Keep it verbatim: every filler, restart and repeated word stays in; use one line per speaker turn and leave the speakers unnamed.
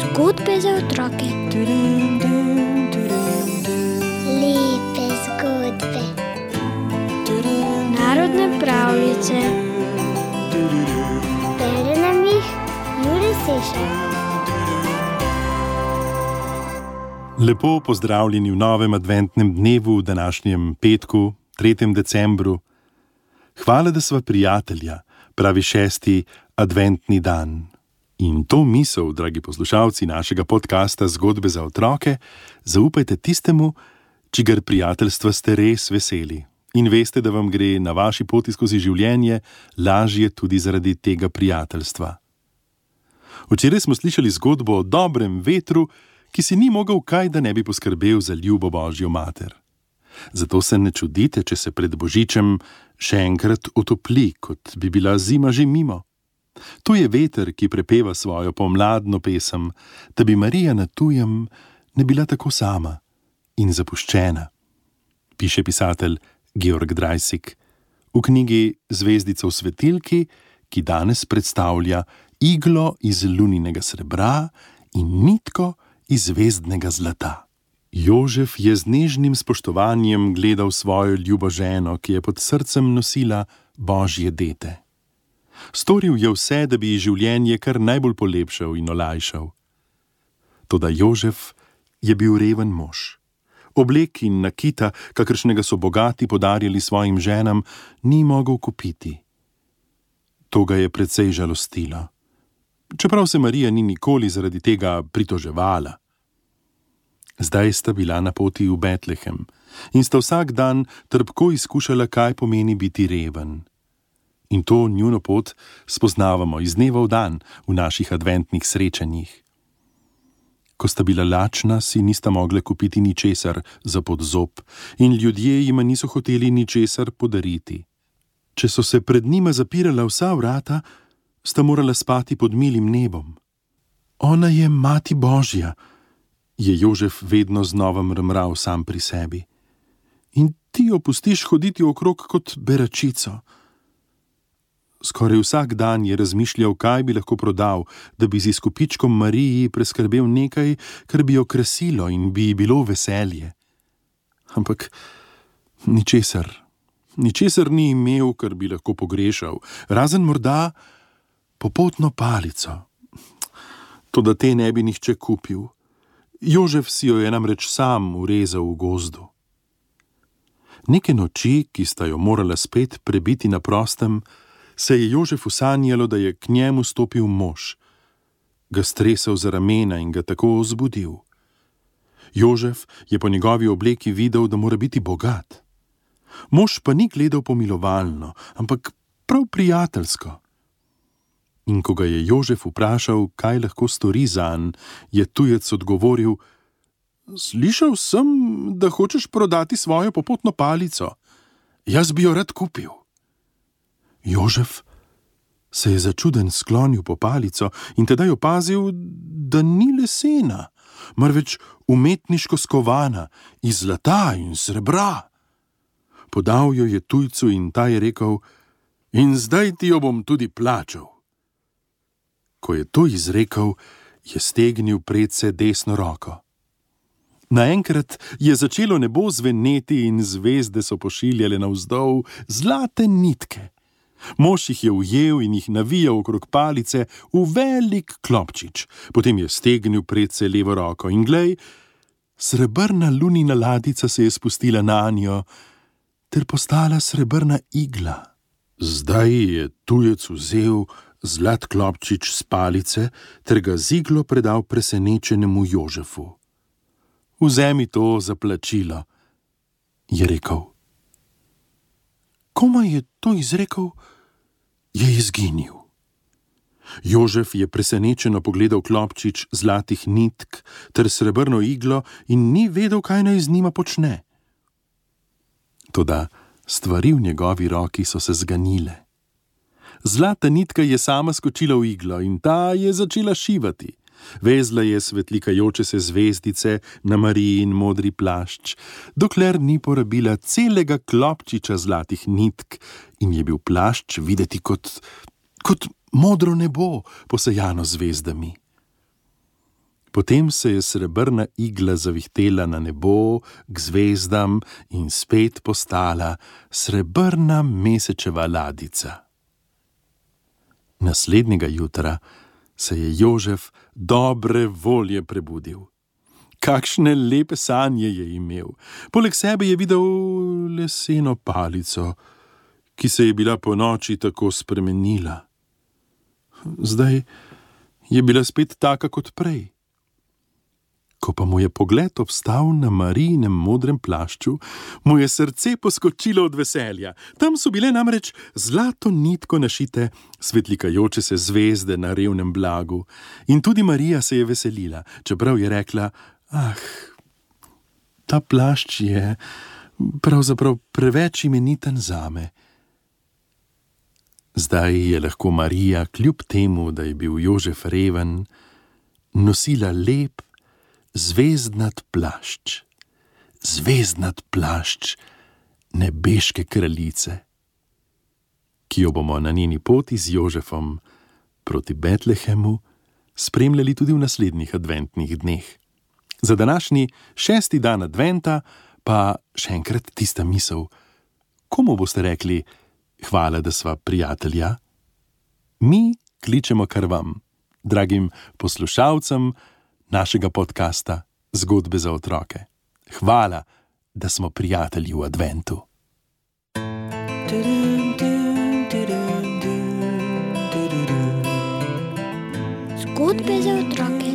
Zgodbe za otroke.
Lepe zgodbe.
Narodne pravljice.
Bere nam jih Jure Sešar.
Lepo pozdravljeni v novem adventnem dnevu, v današnjem petku, tretjem decembru. Hvala, da sva prijatelja, pravi šesti adventni dan. In to misel, dragi poslušalci našega podcasta Zgodbe za otroke, zaupajte tistemu, čigar prijateljstva ste res veseli. In veste, da vam gre na vaši poti skozi življenje lažje tudi zaradi tega prijateljstva. Včeraj smo slišali zgodbo o dobrem vetru, ki si ni mogel kaj, da ne bi poskrbel za ljubo Božjo mater. Zato se ne čudite, če se pred Božičem še enkrat otopli, kot bi bila zima že mimo. To je veter, ki prepeva svojo pomladno pesem, da bi Marija na tujem ne bila tako sama in zapuščena. Piše pisatelj Georg Dreisig v knjigi Zvezdica v svetilki, ki danes predstavlja iglo iz luninega srebra in nitko iz zvezdnega zlata. Jožef je z nežnim spoštovanjem gledal svojo ljubo ženo, ki je pod srcem nosila Božje dete. Storil je vse, da bi ji življenje kar najbolj polepšal in olajšal. Toda Jožef je bil reven mož. Oblek in nakita, kakršnega so bogati podarjali svojim ženam, ni mogel kupiti. To ga je precej žalostilo. Čeprav se Marija ni nikoli zaradi tega pritoževala. Zdaj sta bila na poti v Betlehem in sta vsak dan trpko izkušala, kaj pomeni biti reven. In to njuno pot spoznavamo iz dneva v dan v naših adventnih srečanjih. Ko sta bila lačna, si nista mogla kupiti ničesar za pod zob in ljudje jima niso hoteli ničesar podariti. Če so se pred njima zapirala vsa vrata, sta morala spati pod milim nebom. Ona je mati Božja, je Jožef vedno znova mrmral sam pri sebi. In ti jo pustiš hoditi okrog kot beračico. Skoraj vsak dan je razmišljal, kaj bi lahko prodal, da bi z izkupičkom Mariji preskrbel nekaj, kar bi jo krasilo in bi ji bilo veselje. Ampak ničesar, ničesar ni imel, kar bi lahko pogrešal, razen morda popotno palico. Toda te ne bi nihče kupil. Jožef si jo je namreč sam urezal v gozdu. Neke noči, ki sta jo morala spet prebiti na prostem, se je Jožefu sanjalo, da je k njemu stopil mož. Ga stresel za ramena in ga tako zbudil. Jožef je po njegovi obleki videl, da mora biti bogat. Mož pa ni gledal pomilovalno, ampak prav prijateljsko. In ko ga je Jožef vprašal, kaj lahko stori zanj, je tujec odgovoril: Slišal sem, da hočeš prodati svojo popotno palico. Jaz bi jo rad kupil. Jožef se je začuden sklonil po palico in tedaj opazil, da ni lesena, marveč umetniško skovana iz zlata in srebra. Podal jo je tujcu in ta je rekel: In zdaj ti jo bom tudi plačal. Ko je to izrekel, je stegnil predse desno roko. Naenkrat je začelo nebo zveneti in zvezde so pošiljale navzdol zlate nitke. Mož jih je ujel in jih navijal okrog palice v velik klopčič. Potem je stegnil predse levo roko in glej, srebrna lunina ladica se je spustila nanjo ter postala srebrna igla. Zdaj je tujec vzel zlat klopčič s palice ter ga z iglo predal presenečenemu Jožefu. Vzemi to za plačilo, je rekel. Komaj je to izrekel, je izginil. Jožef je presenečeno pogledal klopčič zlatih nitk ter srebrno iglo in ni vedel, kaj naj z njima počne. Toda stvari v njegovi roki so se zganile. Zlata nitka je sama skočila v iglo in ta je začela šivati. Vezla je svetlikajoče se zvezdice na Marijin modri plašč, dokler ni porabila celega klopčiča zlatih nitk in je bil plašč videti kot, kot modro nebo, posejano zvezdami. Potem se je srebrna igla zavihtela na nebo k zvezdam in spet postala srebrna mesečeva ladica. Naslednjega jutra se je Jožef dobre volje prebudil. Kakšne lepe sanje je imel. Poleg sebe je videl leseno palico, ki se je bila po noči tako spremenila. Zdaj je bila spet taka kot prej. Ko pa mu je pogled obstal na Marijinem modrem plašču, mu je srce poskočilo od veselja. Tam so bile namreč zlato nitko našite svetlikajoče se zvezde na revnem blagu. In tudi Marija se je veselila, čeprav je rekla: ah, ta plašč je pravzaprav preveč imeniten zame. Zdaj je lahko Marija, kljub temu, da je bil Jožef reven, nosila lep, zvezdnat plašč, zvezdnat plašč nebeške kraljice, ki jo bomo na njeni poti z Jožefom proti Betlehemu spremljali tudi v naslednjih adventnih dneh. Za današnji šesti dan adventa pa še enkrat tista misel: komu boste rekli hvala, da sva prijatelja? Mi kličemo kar vam, dragim poslušalcem našega podcasta Zgodbe za otroke. Hvala, da smo prijatelji v adventu.
Zgodbe za otroke.